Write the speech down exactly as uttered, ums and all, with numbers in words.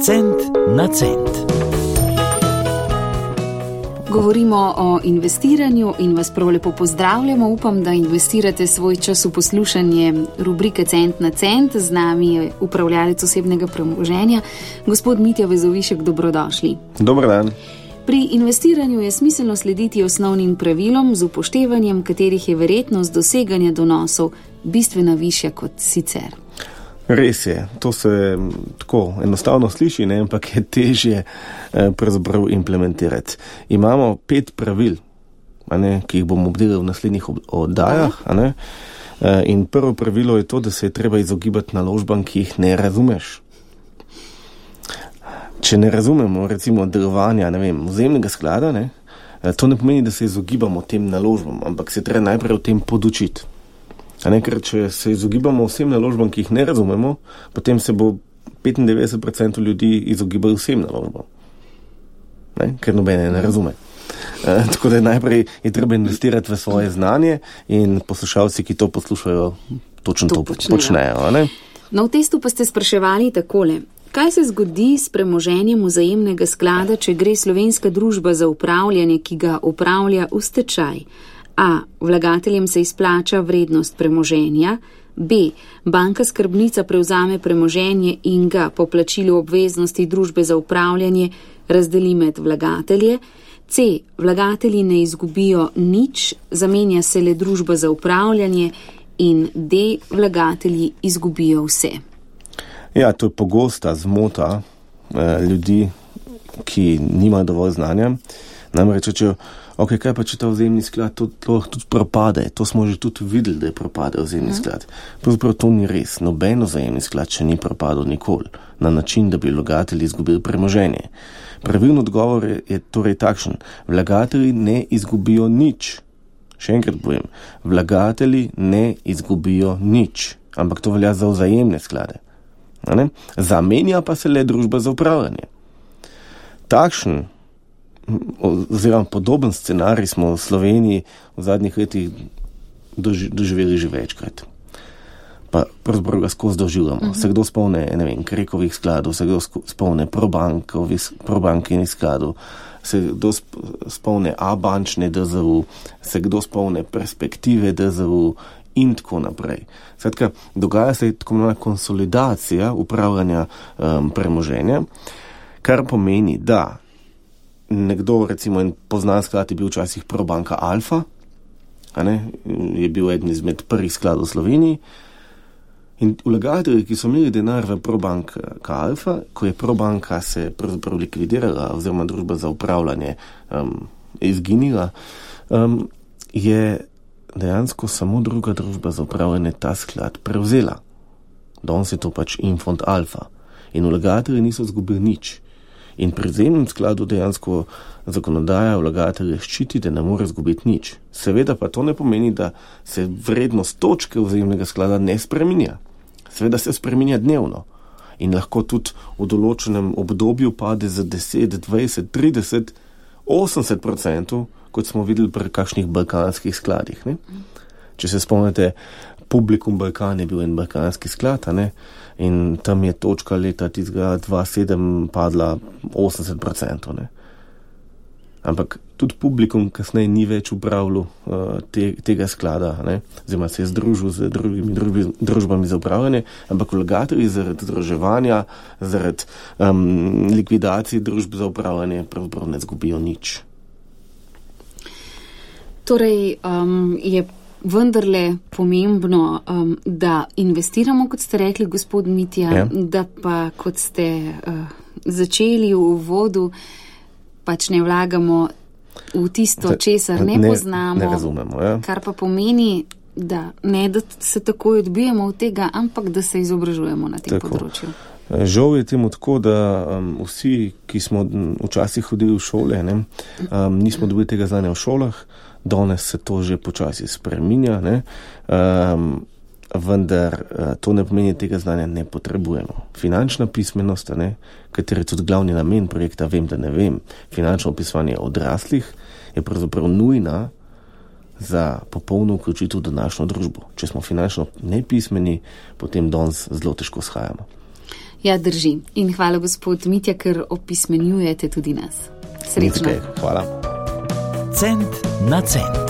Cent na cent. Govorimo o investiranju in vas prav lepo pozdravljamo. Upam, da investirate svoj čas v poslušanje rubrike Cent na cent. Z nami je upravljalec osebnega premoženja, gospod Mitja Vezovišek, dobrodošli. Dober dan. Pri investiranju je smiselno slediti osnovnim pravilom, z upoštevanjem katerih je verjetnost doseganja donosov bistveno višja kot sicer. Res je, to se tako enostavno sliši, ne, ampak je težje eh, pravzaprav implementirati. Imamo pet pravil, a ne, ki jih bomo obdelali v naslednjih oddajah. A ne, eh, in prvo pravilo je to, da se je treba izogibati naložbam, ki jih ne razumeš. Če ne razumemo, recimo, delovanja, ne vem, vzajemnega sklada, ne, eh, to ne pomeni, da se izogibamo tem naložbam, ampak se treba najprej o tem podučiti. A ne, ker če se izogibamo vsem naložbam, ki jih ne razumemo, potem se bo petindevetdeset procentov ljudi izogibalo vsem naložbam. Ne, ker nobene ne razume. E, tako da najprej je treba investirati v svoje znanje in poslušalci, ki to poslušajo, točno to, to počnejo. počnejo ne? No, v testu pa ste spraševali takole. Kaj se zgodi s premoženjem vzajemnega sklada, če gre slovenska družba za upravljanje, ki ga upravlja v stečaj? A. Vlagateljem se izplača vrednost premoženja. B. Banka skrbnica prevzame premoženje in ga po plačilu obveznosti družbe za upravljanje razdeli med vlagatelje. C. Vlagatelji ne izgubijo nič, zamenja se le družba za upravljanje. In D. Vlagatelji izgubijo vse. Ja, to je pogosta zmota eh, ljudi, ki nimajo dovolj znanja. Namreč rečejo, ok, kaj pa če ta vzajemni sklad to, to tudi propade? To smo že tudi videli, da je propade vzajemni sklad. Pravzaprav to ni res. Nobeno vzajemni sklad še ni propadel nikoli na način, da bi vlagatelji izgubili premoženje. Pravilni odgovor je, je torej takšen. Vlagatelji ne izgubijo nič. Še enkrat povem. Vlagatelji ne izgubijo nič. Ampak to velja za vzajemne sklade. Zamenja pa se le družba za upravljanje. Takšen oziroma podoben scenarij smo v Sloveniji v zadnjih letih doži, doživeli že večkrat. Pa pravzaprav ga skozi doživljamo. Uh-huh. Se kdo spomne, ne vem, Krekovih skladov, se kdo spomne probankinih skladov, se kdo spomne A-bančne D Z U, se kdo spomne perspektive D Z U in tako naprej. Skratka, dogaja se tako imenovana konsolidacija upravljanja um, premoženja, kar pomeni, da nekdo, recimo, en poznan sklad je bil včasih Probanka Alfa, a ne, je bil eden izmed prvih skladov v Sloveniji. In vlagatelji, ki so imeli denar v Probanka Alfa, ko je Probanka se pravzaprav likvidirala, oziroma družba za upravljanje um, izginila, um, je dejansko samo druga družba za upravljanje ta sklad prevzela. Danes je to pač Infond Alfa. In vlagatelji niso izgubili nič. In pri vzajemnem skladu dejansko zakonodaja vlagatelje ščiti, da ne more izgubiti nič. Seveda pa to ne pomeni, da se vrednost točke vzajemnega sklada ne spreminja. Seveda se spreminja dnevno. In lahko tudi v določenem obdobju pade za deset, dvajset, trideset, osemdeset procentov, kot smo videli pri kakšnih balkanskih skladih. Ne? Če se spomnite, Publikum Balkan je bil en balkanski sklad, a ne? In tam je točka leta tistega dva tisoč sedem padla osemdeset procentov. Ne? Ampak tudi Publikum kasneje ni več upravljal uh, te, tega sklada, ne? Oziroma se je združil z drugimi družbi, družbami za upravljanje, ampak vlagatelji zaradi združevanja, zaradi um, likvidacije družb za upravljanje pravzaprav ne zgubijo nič. Torej, um, je vendarle pomembno, um, da investiramo, kot ste rekli, gospod Mitja, ja. Da pa, kot ste uh, začeli v uvodu, pač ne vlagamo v tisto, česar ne, ne poznamo, ne razumemo, ja. Kar pa pomeni, da ne da se takoj odbijemo od tega, ampak da se izobražujemo na tem tako. Področju. Žal je temu tako, da um, vsi, ki smo včasih hodili v šole, ne, um, nismo dobili tega znanja v šolah. Danes se to že počasi spreminja, ne? Um, vendar uh, to ne pomeni, tega znanja ne potrebujemo. Finančna pismenost, ne? Kateri je tudi glavni namen projekta Vem, da ne vem, finančno opisovanje odraslih, je pravzaprav nujna za popolno vključitev v današnjo družbo. Če smo finančno nepismeni, potem danes zelo težko shajamo. Ja, drži. In hvala, gospod Mitja, ker opismenjujete tudi nas. Srečno. Hvala. Cent na cent.